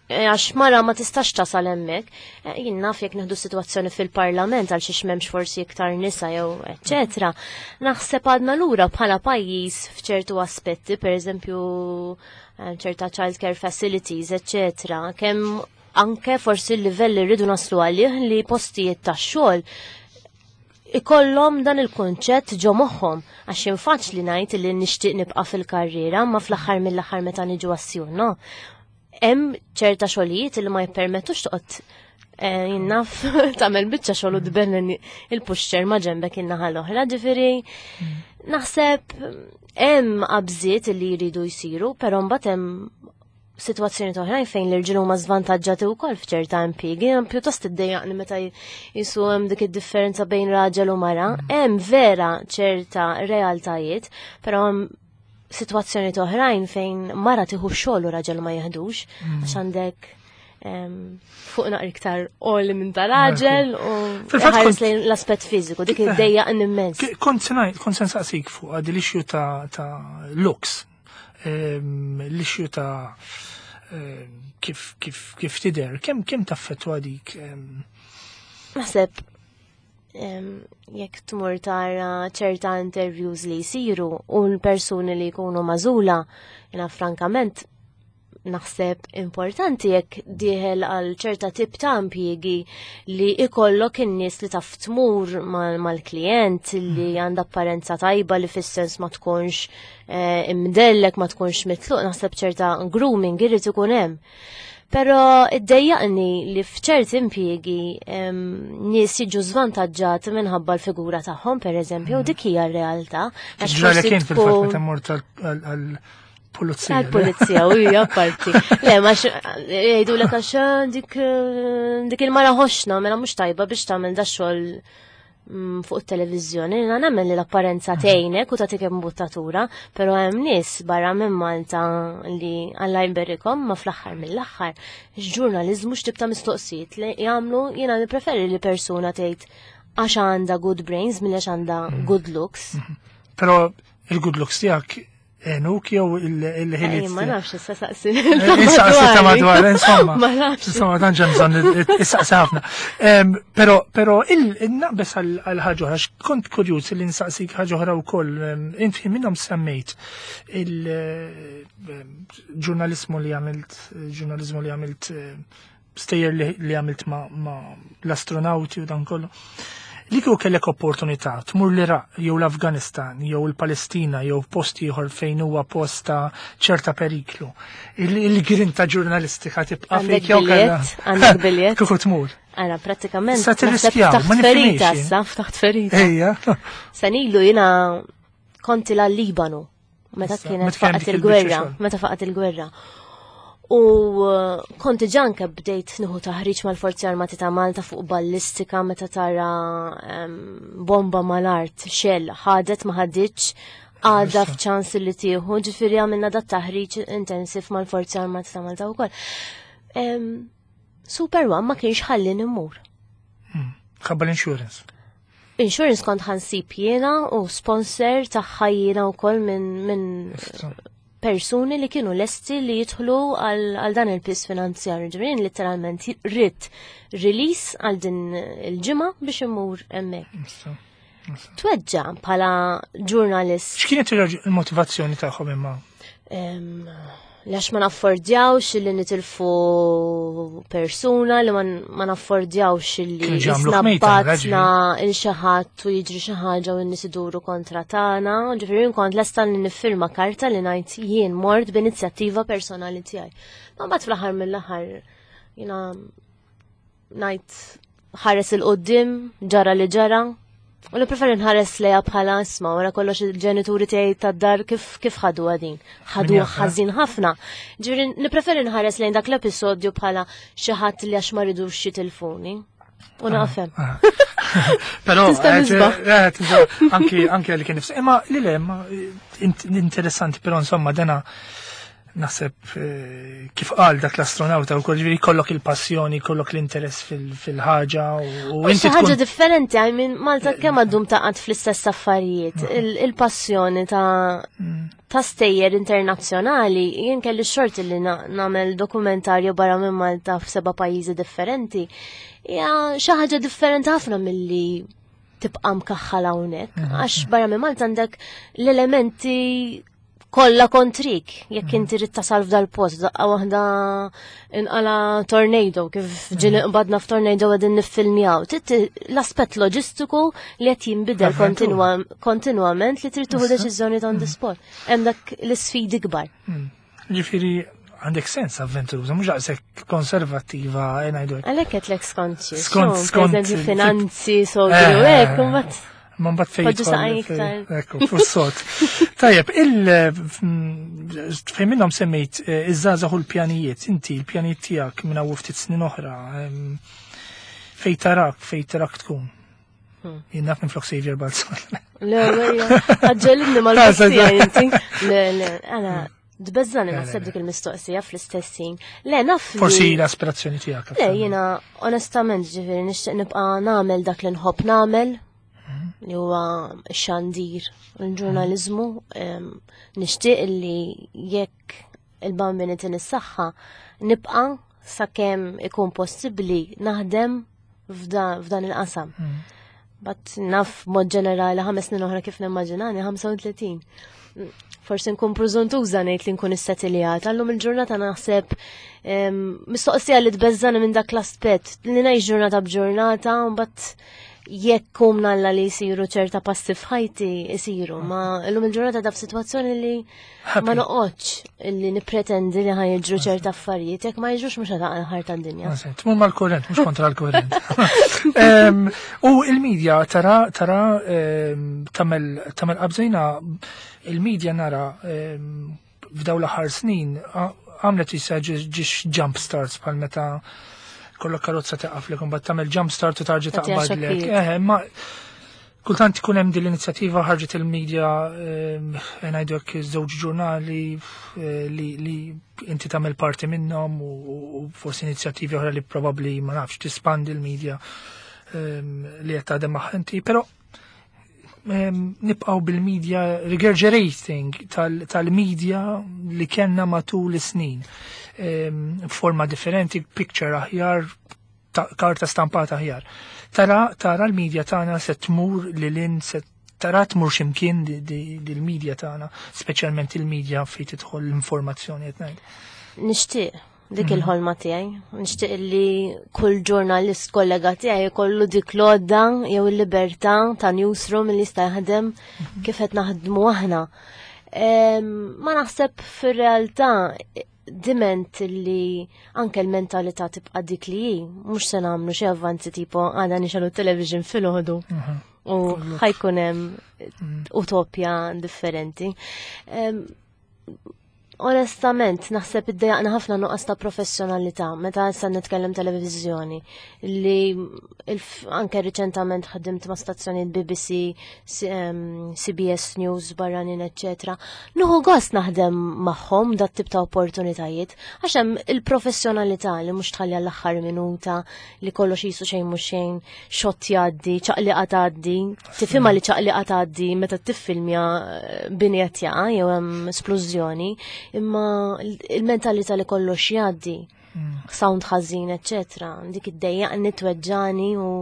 Għax mara ma tistax tasal hemmhekk. Jien naf jekk nieħdu sitwazzjoni fil-Parlament għal xiex m'hemmx forsi iktar nisa jew eċċetera. Naħseb għadna lura bħala pajjiż f'ċertu aspetti, pereżempju ċerta child care facilities, eċċetera. Kemm anke forsi l-livell li rridu naslu għalih li postijiet tax-xogħol ikollhom dan il-konċett ġo moħħhom, għax infaċli ngħid li nixtieq nibqa' fil-karriera, ma fl-aħħar mill-aħħar meta niġu għas no. Hemm ċerta xogħlijiet li ma jippermettux toqgħod jinnaf tagħmel biċċa xogħol u tbennen il-pushchair ma ġembek in-naħa l-oħra, ġifieri naħseb hemm qabżiet li jridu jsiru, però mbagħad hemm sitwazzjoni oħrajn fejn l-irġiel huma żvantaġġati wkoll f'ċerta impjiegi, pjuttost iddejjaqni meta jisu hemm dik id-differenza bejn raġel u mara. Hemm vera ċerta realtajiet, però hemm sitwazzjoni oħrajn fejn mara tieħu xogħol u raġel ma jeħdux, għax għandek fuq naqra iktar għoli minn ta' raġel u ħares lejn l-aspett fiżiku, dik iddejjaqni immens. Kont se nsaqsik fuq għadi l-issue ta' looks, l-issue ta' kif kif kif tidher, kemm kemm taffettwa dik? Naħseb jekk tmur tara ċerta interviews li jsiru u l-persuni li jkunu magħżula, jiena frankament naħseb importanti jekk dieħel għal ċerta tip ta' impjiegi li ikollok in-nies li taf tmur mal-klient li għandha apparenza tajba li fis-sens ma tkunx imdellek, ma tkunx mitluq, naħseb ċerta grooming irid ikun hemm. Però iddejjaqni li f'ċerti impjiegi nies jiġu żvantaġġati minħabba l-figura tagħhom, pereżempju, u dik hija r-realtà. Ġralek kien fil-fatt meta mort għal pulizija. Għal-pulizija, u hija parti. Le, ma jgħidu lek għax dik dik il-mara ħoxna, mela mhux tajba biex tagħmel da xogħol fuq it-televiżjoni. Jiena nemmen li l-apparenza tgħinek u tagħtik imbuttatura, però hemm nies barra minn Malta li Alla jberikhom, ma fl-aħħar mill-aħħar ġurnaliżmu x'tip ta' mistoqsijiet li jagħmlu, jiena nippreferi li persuna tgħid għax għandha good brains milli għax għandha good looks. Però il-good looks tiegħek enuk jew il-ħiliet. Ma nafx, issa saqsi. Issaqsi ta' madwar, insomma. Ma nafx. Insomma, dan ġem bżonn issaqsi ħafna. Però però il-naqbes għal ħaġa oħra, kont kurjuż li nsaqsik ħaġa oħra wkoll. Inti minnhom semmejt il-ġurnalismu li għamilt, ġurnalismu li għamilt, stejjer li għamilt ma' l-astronauti u dan kollu. Li kieku kellek opportunità tmur l-Iraq jew l-Afganistan jew il-Palestina jew post ieħor fejn huwa post ta' ċerta periklu, il-grinta ġurnalistika tibqa' fejk jew kellha. Għandek biljett. Kieku tmur. Ara, prattikament. Sa tirriskjaw, ma ferita issa, ftaħt ferita. Ejja. Sanilu jiena konti l-Libanu meta kienet faqgħet il-gwerra, meta faqgħet il-gwerra. U konti ġanka bdejt nieħu taħriġ mal-Forzi Armati ta' Malta fuq ballistika meta tara bomba mal-art, xell, ħadet ma ħaditx, għadha f'ċans li tieħu, ġifieri għamilna dat taħriġ intensiv mal-Forzi Armati ta' Malta wkoll. Super One ma kienx ħalli immur. Ħabba l-insurance. Insurance kont ħansib jiena u sponsor tagħha jiena wkoll minn persuni li kienu lesti li jidħlu għal dan il-pis finanzjarju. Ġifieri literalment rrid release għal din il-ġimgħa biex immur hemmhekk. Tweġġa bħala ġurnalist. X'kienet il-motivazzjoni tagħhom imma? Għax ma naffordjawx li nitilfu persuna, li ma naffordjawx li jisnabbatna il xi ħadd u jiġri xi ħaġa u n-nies iduru kontra tagħna. Ġifieri kont lesta li niffirma karta li ngħid jien mort b'inizjattiva personali tiegħi. Ma mbagħad fl-aħħar mill-aħħar jiena ngħid ħares il-qudiem, ġara li ġara. U nippreferi nħares lejha bħala isma' wara kollox il-ġenituri tiegħi tad-dar kif kif ħadu għadin. Ħadu ħażin ħafna. Ġifieri nippreferi nħares lejn dak l-episodju bħala xi ħadd li għax ma ridux jitilfuni. U naqfem. Però anki anki għalli kien nifsi. Imma li le, interessanti però insomma dena Naħseb eh, kif qal dak l-astronauta u ġifieri kollok il-passjoni, kollok l-interess fil-ħaġa u inti. Ħaġa differenti, I mean, Malta kemm għaddum taqgħod fl-istess affarijiet, il-passjoni ta' mm. ta' stejjer internazzjonali, jien kelli xorti li nagħmel dokumentarju barra minn Malta f'seba' pajjiżi differenti. Ja, xi ħaġa differenti ħafna milli tibqa' mkaħħal hawnhekk, mm. għax barra minn Malta għandek l-elementi kollha kontrik, jekk mm. inti rid tasal f'dal-post, daqqa waħda inqala tornado, kif ġieli mm. qbadna f'tornado għadin niffilmjaw. L-aspett loġistiku li qed jinbidel kontinwament li trid tieħu deċiżjoni on the mm. spot. Hemm dak l-isfidi kbar. Ġifieri għandek sens avventuruża, mhux daqshekk konservattiva, eh, ngħidu. Għalhekk qed lek skont skont skont finanzi, sogru, eh, hekk, imbagħad Ma mbagħad fejn Ekku, fuq Tajjeb, il fejn minnhom semmejt eh, iż-żgħażagħ u l-pjanijiet, inti l-pjanijiet tiegħek minn hawn ftit snin oħra, fejn tarak, fejn tarak tkun. Hmm. Jien naf minn flok Saviour Balzan. Le, għagġelidni mal-mistoqsija inti. Le, le, għana, tbeżżagħni naħseb dik il-mistoqsija fl-istess ħin. Le, naf. Forsi l-aspirazzjoni tiegħek. Le, jiena onestament ġifieri nixtieq nibqa' nagħmel dak li nħobb nagħmel li huwa xandir, il-ġurnalizmu, nixtieq li jekk il-Bambin itini s-saħħa nibqa' sakemm ikun possibbli naħdem f'dan il-qasam. Hmm. But naf mod ġenerali ħames snin oħra kif nimmaġinani, ħamsa u tletin. Forsi nkun preżuntuża ngħid li nkun issetiljata. Allum il-ġurnata naħseb mistoqsija li tbeżżagħni minn dak l-aspett li ngħix ġurnata b'ġurnata, mbagħad jekk kum nalla li jisiru ċerta passi f'ħajti jisiru, ma illum il-ġurnata da f'sitwazzjoni li ma noqgħodx li nippretendi li ħa jiġru ċerta affarijiet, jekk ma jiġrux mhux ħa ħar tad-dinja. Tmur mal-kurrent, mhux kontra l-kurrent. U il-medja tara tara tagħmel tagħmel qabżejna il-medja nara f'daw l-aħħar snin għamlet issa ġiex jump starts bħal meta kollok karozza taqaf li kumbat tagħmel jump start u tarġa taqbadlek. Eh, ma kultant ikun hemm din l-inizjattiva ħarġet il-medja, ngħidu hekk, żewġ ġurnali eh, li li inti tagħmel parti minnhom u forsi inizjattivi oħra li probabbli, ma nafx, tispandi l-medja li qed taħdem magħha inti, però nibqgħu bil-media regurgitating tal-media li kellna matul is-snin. Forma differenti, picture aħjar, karta stampata aħjar. Tara, tara l-media tagħna se tmur lil hinn, se tara tmur x'imkien dil-media tagħna, speċjalment il-media fejn tidħol l-informazzjoni qed ngħid? Nixtieq dik mhm. il-ħolma tiegħi. Nixtieq li kull ġurnalist kollega tiegħi jkollu dik l-għodda jew il-libertà ta' newsroom li jista' jaħdem mhm. kif qed naħdmu aħna. Ma naħseb fir-realtà diment li anke l-mentalità tibqa' dik li hi, mhux se nagħmlu xi avvanzi tipo għada nixegħlu television filgħodu mhm. u ħa jkun hemm utopja differenti. Onestament, naħseb iddejjaqna ħafna nuqqas ta' professjonalità meta issa nitkellem televizjoni li anke riċentament ħadimt ma' stazzjonijiet B B C, C B S News, barranin, eccetera. Nieħu gost naħdem magħhom dat tip ta' opportunitajiet għax hemm il-professjonalità li mhux tħalli għall-aħħar minuta li kollox jisu xejn mhux xejn, xott jgħaddi, ċaqliqa tgħaddi, tifhimha li ċaqliqa tgħaddi meta tiffilmja eh, bini qed jaqa' jew hemm splużjoni, imma il-mentalità li kollox jgħaddi, mm. sound ħażin, eccetera, dik iddejjaqni, tweġġagħni u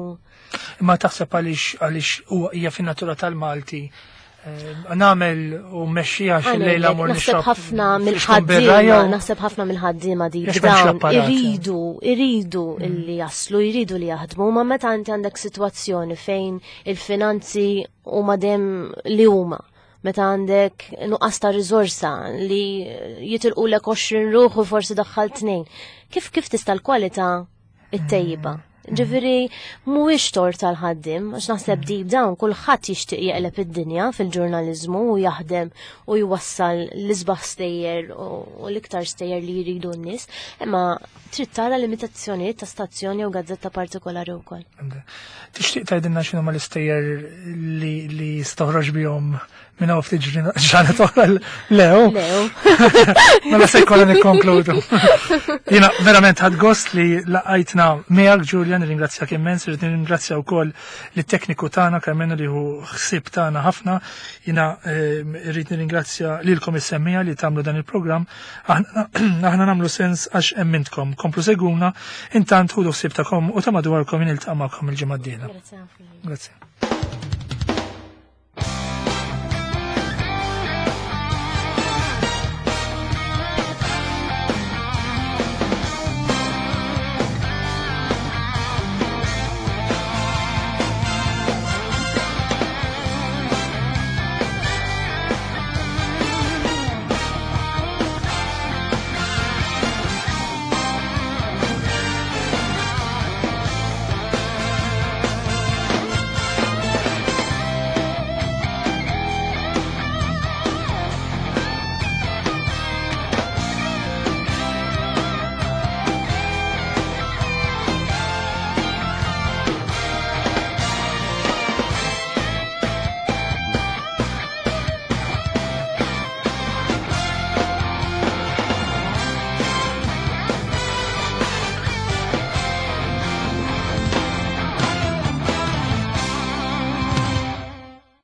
Imma taħseb għaliex għaliex huwa hija fin-natura tal-Malti eh, nagħmel u mmexxija xi lejla mur Naħseb ħafna mill-ħaddiema, naħseb ħafna mill-ħaddiema di dawn iridu, iridu mm. illi jaslu, jridu li jaħdmu, ma meta inti għandek sitwazzjoni fejn il-finanzi huma dem li huma, meta għandek nuqqas ta' riżorsa li jitilqu lek għoxrin ruħ u forsi daħħal tnejn. Kif kif tista' l-kwalità ittejjiba? Ġifieri mhuwiex tort tal-ħaddiem, għax naħseb deep down kulħadd jixtieq jeqleb id-dinja fil-ġurnaliżmu u jaħdem u jwassal l-isbaħ stejjer u l-iktar stejjer li jridu n-nies, imma trid tara limitazzjonijiet ta' stazzjoni u gazzetta partikolari wkoll. Tixtieq tgħidilna x'inhuma l-istejjer li li stoħroġ bihom minn hawn ftit ġranet oħra? Leo. Leo. Mela se jkollna nikkonkludu. Jiena verament ħadt gost li ltqajt miegħek, Julia, nirringrazzjak immens, irrid nirringrazzja wkoll lit-tekniku tagħna Karmenu li hu ħsieb tagħna ħafna. Jiena irrid nirringrazzja lilkom is-semmiegħa li tagħmlu dan il-programm. Aħna aħna nagħmlu sens għax emmintkom. Komplu segwuna, intant ħudu ħsieb tagħkom u ta' madwarkom, niltaqa' magħkom il-ġimgħa d-dieħla. Grazie ħafna. Grazie.